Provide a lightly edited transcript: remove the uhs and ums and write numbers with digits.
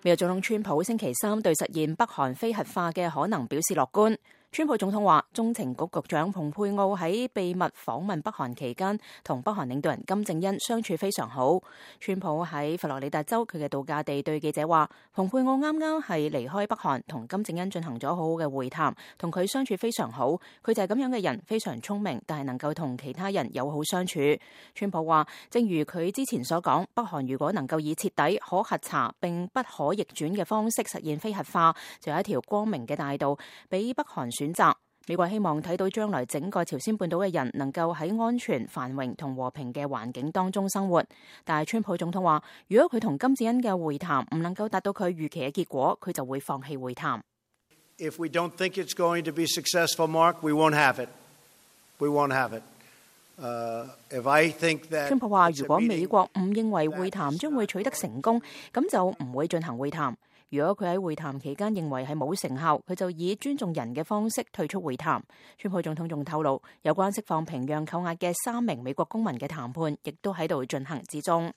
美國總統川普星期三對實現北韓非核化嘅可能表示樂觀。川普總統話，中情局局長蓬佩奧喺秘密訪問北韓期間，同北韓領導人金正恩相處非常好。川普喺佛羅里達州佢嘅度假地對記者話，蓬佩奧啱啱係離開北韓，同金正恩進行咗好好嘅會談，同佢相處非常好。佢就係咁樣嘅人，非常聰明，但係能夠同其他人友好相處。川普話，正如佢之前所講，北韓如果能夠以徹底、可核查並不可逆轉嘅方式實現非核化，就有一條光明嘅大道俾北韓選擇。美國希望睇到將來整個朝鮮半島嘅人能夠喺安全、繁榮同和平嘅環境當中生活。但係川普總統話，如果佢同金正恩嘅會談唔能夠達到佢預期嘅結果，佢就會放棄會談。If we don't think it's going to be successful, Mark, we won't have it. We won't have it. If I think that 川普話，如果美國唔認為會談將會取得成功，咁就唔會進行會談。如果佢喺會談期間認為係冇成效，佢就以尊重人嘅方式退出會談。川普總統仲透露，有關釋放平壤扣押嘅3名美國公民嘅談判，亦都喺度進行之中。